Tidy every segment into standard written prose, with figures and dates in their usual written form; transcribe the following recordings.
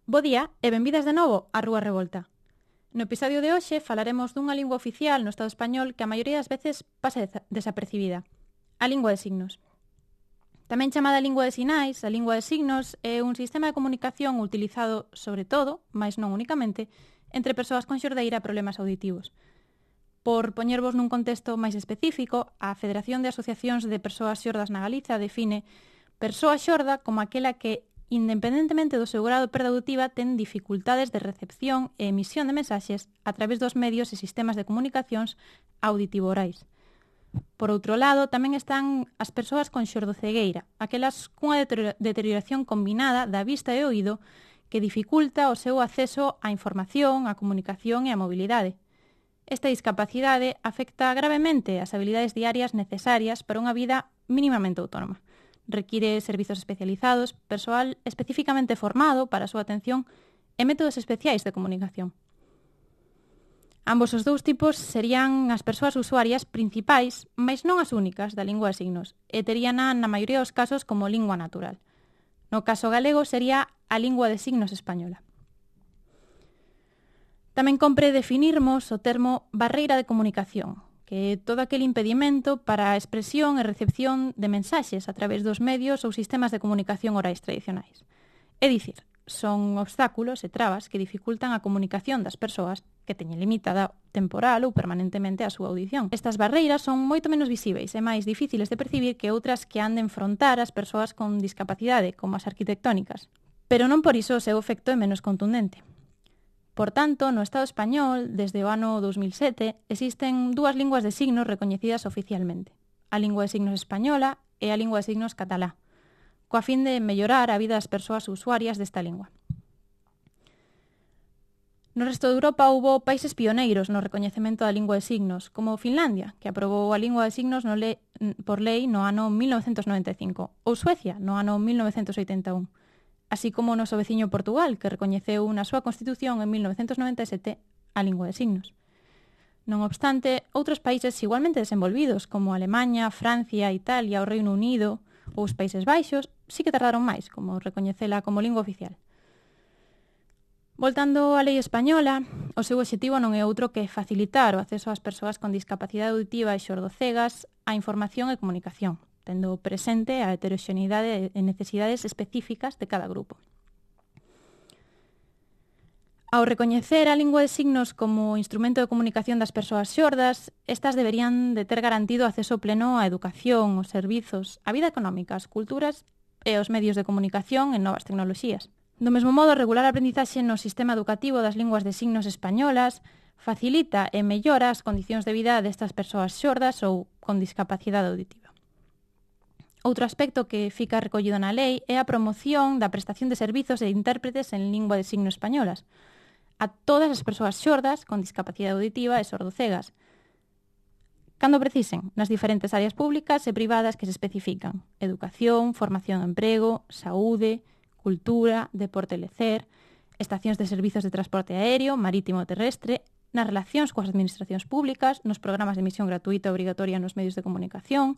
Bo día e benvidas de novo á Rúa Revolta. No episodio de hoxe falaremos dunha lingua oficial no Estado español que a maioría das veces pasa desapercibida, a lingua de signos. Tamén chamada lingua de sinais, a lingua de signos é un sistema de comunicación utilizado sobre todo, mas non únicamente, entre persoas con xordeira e problemas auditivos. Por poñervos nun contexto máis específico, a Federación de Asociacións de Persoas Xordas na Galiza define persoa xorda como aquela que, independentemente do seu grado de perda auditiva, ten dificultades de recepción e emisión de mensaxes a través dos medios e sistemas de comunicacións auditivo-orais. Por outro lado, tamén están as persoas con xordocegueira, aquelas cunha deterioración combinada da vista e oído que dificulta o seu acceso á información, á comunicación e á mobilidade. Esta discapacidade afecta gravemente as habilidades diarias necesarias para unha vida mínimamente autónoma. Require servizos especializados, persoal especificamente formado para a súa atención e métodos especiais de comunicación. Ambos os dous tipos serían as persoas usuarias principais, mas non as únicas, da lingua de signos, e teríana na maioría dos casos como lingua natural. No caso galego sería a lingua de signos española. Tamén compre definirmos o termo barreira de comunicación, que é todo aquel impedimento para a expresión e recepción de mensaxes a través dos medios ou sistemas de comunicación orais tradicionais. É dicir, son obstáculos e trabas que dificultan a comunicación das persoas que teñen limitada temporal ou permanentemente a súa audición. Estas barreiras son moito menos visíveis e máis difíciles de percibir que outras que han de enfrontar as persoas con discapacidade, como as arquitectónicas. Pero non por iso o seu efecto é menos contundente. Por tanto, no Estado español, desde o ano 2007, existen dúas linguas de signos recoñecidas oficialmente. A lingua de signos española e a lingua de signos catalá, coa fin de mellorar a vida das persoas usuarias desta lingua. No resto de Europa houbo países pioneiros no recoñecemento da lingua de signos, como Finlandia, que aprobou a lingua de signos por lei no ano 1995, ou Suecia, no ano 1981. Así como o noso veciño Portugal, que recoñeceu na súa Constitución en 1997 a lingua de signos. Non obstante, outros países igualmente desenvolvidos, como Alemanha, Francia, Italia, o Reino Unido ou os Países Baixos, sí que tardaron máis, como recoñecela como lingua oficial. Voltando á lei española, o seu obxectivo non é outro que facilitar o acceso ás persoas con discapacidade auditiva e xordocegas á información e comunicación, tendo presente a heteroxeneidade e necesidades específicas de cada grupo. Ao recoñecer a lingua de signos como instrumento de comunicación das persoas xordas, estas deberían de ter garantido acceso pleno á educación, aos servizos, á vida económica, ás culturas e aos medios de comunicación e novas tecnoloxías. Do mesmo modo, regular a aprendizaxe no sistema educativo das linguas de signos españolas facilita e mellora as condicións de vida destas persoas xordas ou con discapacidade auditiva. Outro aspecto que fica recollido na lei é a promoción da prestación de servizos e intérpretes en lingua de signos españolas a todas as persoas xordas con discapacidade auditiva e sordocegas, cando precisen, nas diferentes áreas públicas e privadas que se especifican: educación, formación e emprego, saúde, cultura, deporte e lecer, estacións de servizos de transporte aéreo, marítimo e terrestre, nas relacións coas administracións públicas, nos programas de emisión gratuita e obrigatoria nos medios de comunicación,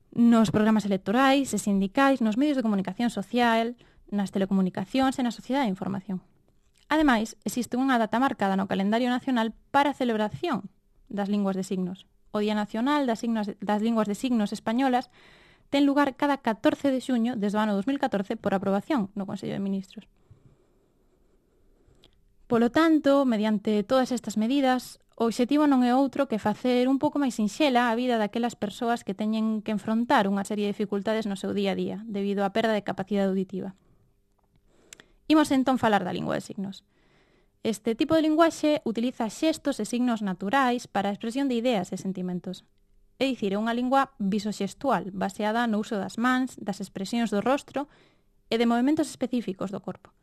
nos programas electorais e sindicais, nos medios de comunicación social, nas telecomunicacións e na sociedade de información. Ademais, existe unha data marcada no calendario nacional para a celebración das linguas de signos. O Día Nacional das Linguas de Signos Españolas ten lugar cada 14 de xuño desde o ano 2014 por aprobación no Consello de Ministros. Polo tanto, mediante todas estas medidas, o obxectivo non é outro que facer un pouco máis sinxela a vida daquelas persoas que teñen que enfrontar unha serie de dificultades no seu día a día, debido á perda de capacidade auditiva. Imos entón falar da lingua de signos. Este tipo de linguaxe utiliza xestos e signos naturais para a expresión de ideas e sentimentos. É dicir, é unha lingua visoxestual, baseada no uso das mans, das expresións do rostro e de movimentos específicos do corpo.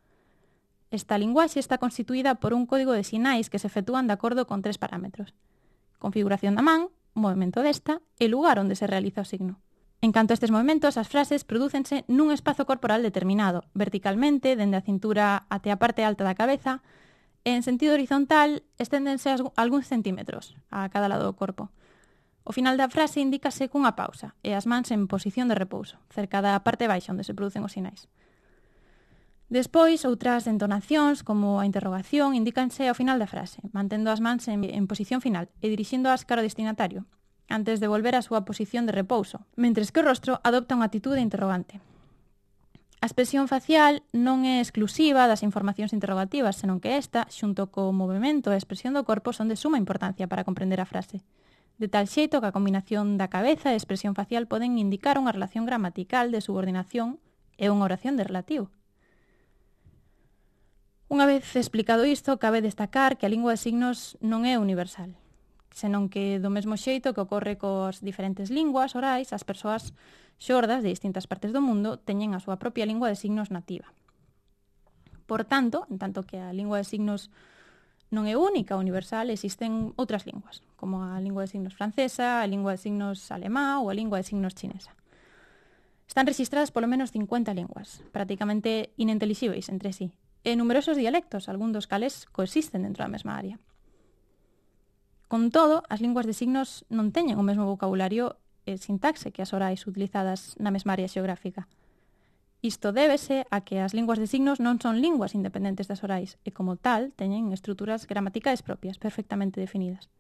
Esta linguaxe está constituída por un código de sinais que se efectúan de acordo con 3 parámetros: configuración da man, movimento desta e lugar onde se realiza o signo. En canto a estes movimentos, as frases prodúcense nun espazo corporal determinado, verticalmente, dende a cintura até a parte alta da cabeza, e en sentido horizontal esténdense algúns centímetros a cada lado do corpo. O final da frase indícase cunha pausa e as mans en posición de repouso, cerca da parte baixa onde se producen os sinais. Despois, outras entonacións, como a interrogación, indícanse ao final da frase, mantendo as mans en posición final e dirixíndoas cara ao destinatario, antes de volver á súa posición de repouso, mentres que o rostro adopta unha actitude interrogante. A expresión facial non é exclusiva das informacións interrogativas, senón que esta, xunto co movimento e a expresión do corpo, son de suma importancia para comprender a frase. De tal xeito que a combinación da cabeza e a expresión facial poden indicar unha relación gramatical de subordinación e unha oración de relativo. Unha vez explicado isto, cabe destacar que a lingua de signos non é universal, senón que do mesmo xeito que ocorre cos diferentes linguas orais, as persoas xordas de distintas partes do mundo teñen a súa propia lingua de signos nativa. Por tanto, en tanto que a lingua de signos non é única ou universal, existen outras linguas, como a lingua de signos francesa, a lingua de signos alemá ou a lingua de signos chinesa. Están registradas polo menos 50 linguas, prácticamente inintelixibles entre sí, e numerosos dialectos, algún dos cales coexisten dentro da mesma área. Con todo, as linguas de signos non teñen o mesmo vocabulario e sintaxe que as orais utilizadas na mesma área xeográfica. Isto débese a que as linguas de signos non son linguas independentes das orais e, como tal, teñen estruturas gramaticais propias, perfectamente definidas.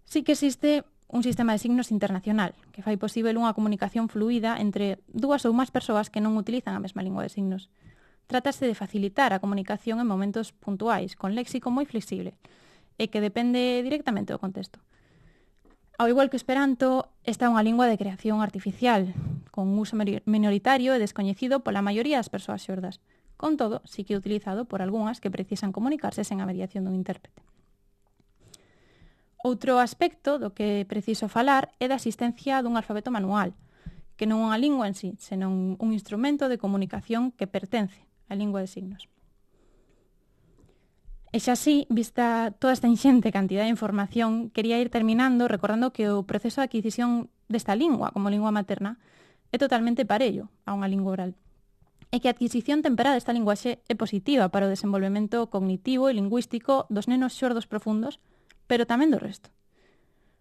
Sí que existe un sistema de signos internacional que fai posible unha comunicación fluida entre dúas ou máis persoas que non utilizan a mesma lingua de signos. Trátase de facilitar a comunicación en momentos puntuais, con léxico moi flexible, e que depende directamente do contexto. Ao igual que o Esperanto, esta é unha lingua de creación artificial, con uso minoritario e descoñecido pola maioría das persoas xordas. Con todo, sí que é utilizado por algunhas que precisan comunicarse sen a mediación dun intérprete. Outro aspecto do que preciso falar é da existencia dun alfabeto manual, que non é unha lingua en sí, senón un instrumento de comunicación que pertence á lingua de signos. E xa así, vista toda esta inxente cantidad de información, quería ir terminando recordando que o proceso de adquisición desta lingua como lingua materna é totalmente parello a unha lingua oral, e que a adquisición temperá desta linguaxe é positiva para o desenvolvemento cognitivo e lingüístico dos nenos xordos profundos, pero tamén do resto.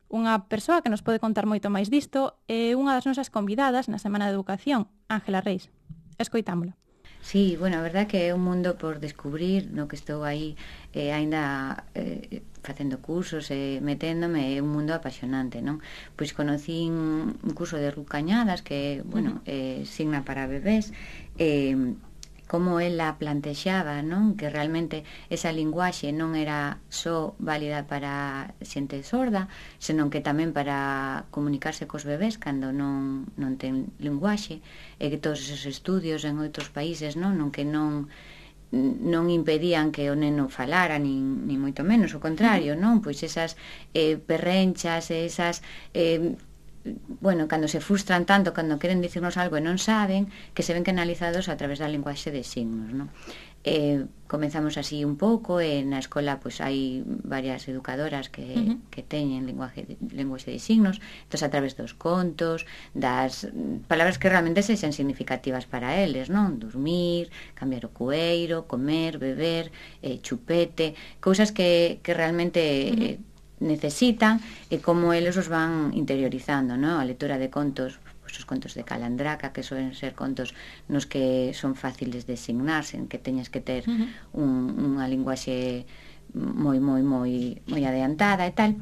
Unha persoa que nos pode contar moito máis disto é unha das nosas convidadas na Semana de Educación, Ángela Reis. Escoitámola. Sí, bueno, a verdad que é un mundo por descubrir, no que estou aí aínda facendo cursos e meténdome, é un mundo apasionante, non? Pois conocín un curso de Ruth Cañadas que, bueno, signa para bebés, como ela plantexaba, non? Que realmente esa linguaxe non era só válida para xente sorda, senón que tamén para comunicarse cos bebés cando non ten linguaxe, e que todos esos estudios en outros países, non que non impedían que o neno falara, nin moito menos, o contrario, non? Pois esas perrenchas, esas bueno, cando se frustran tanto, cando queren dicirnos algo e non saben, que se ven canalizados a través da linguaxe de signos, non? Comenzamos así un pouco, e na escola pois hai varias educadoras que teñen linguaxe de signos, entón a través dos contos, das palabras que realmente sexen significativas para eles, non? Dormir, cambiar o cueiro, comer, beber, chupete, cousas que realmente necesitan e como eles os van interiorizando, non? A lectura de contos, os contos de Calandraca, que suelen ser contos nos que son fáciles de signar, sen que teñas que ter unha linguaxe moi adiantada e tal.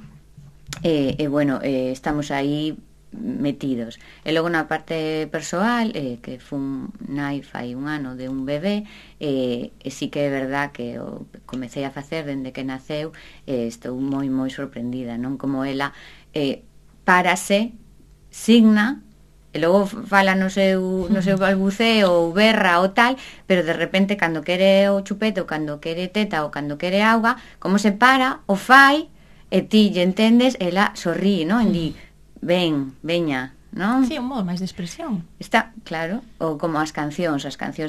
E bueno, estamos aí metidos. E logo na parte persoal, que fun nai fai un ano de un bebé, e sí que é verdad que o comecei a facer dende que naceu, estou moi sorprendida, non? Como ela párase, signa, e logo fala no seu balbuceo ou berra ou tal, pero de repente cando quere o chupete ou cando quere teta ou cando quere auga, como se para, o fai, e ti lle entendes, ela sorrí, non? E di, veña, non? Sí, un modo máis de expresión. Está, claro, ou como as cancións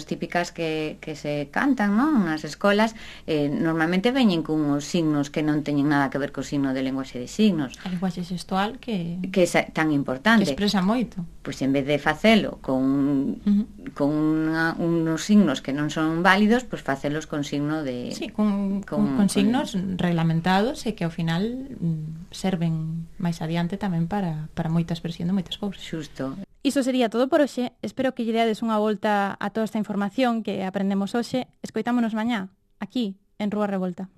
típicas que se cantan, non? Nas escolas, normalmente veñen cunhos signos que non teñen nada que ver co signo de linguaxe de signos. A linguaxe xestual que é tan importante. Que expresa moito. Pois en vez de facelo con unos signos que non son válidos, pois facelos con signo de... Sí, con signos reglamentados e que ao final serven máis adiante tamén para moita expresión de moitas cousas. Xusto. Iso sería todo por hoxe. Espero que lle deades unha volta a toda esta información que aprendemos hoxe. Escoitámonos mañá, aquí, en Rúa Revolta.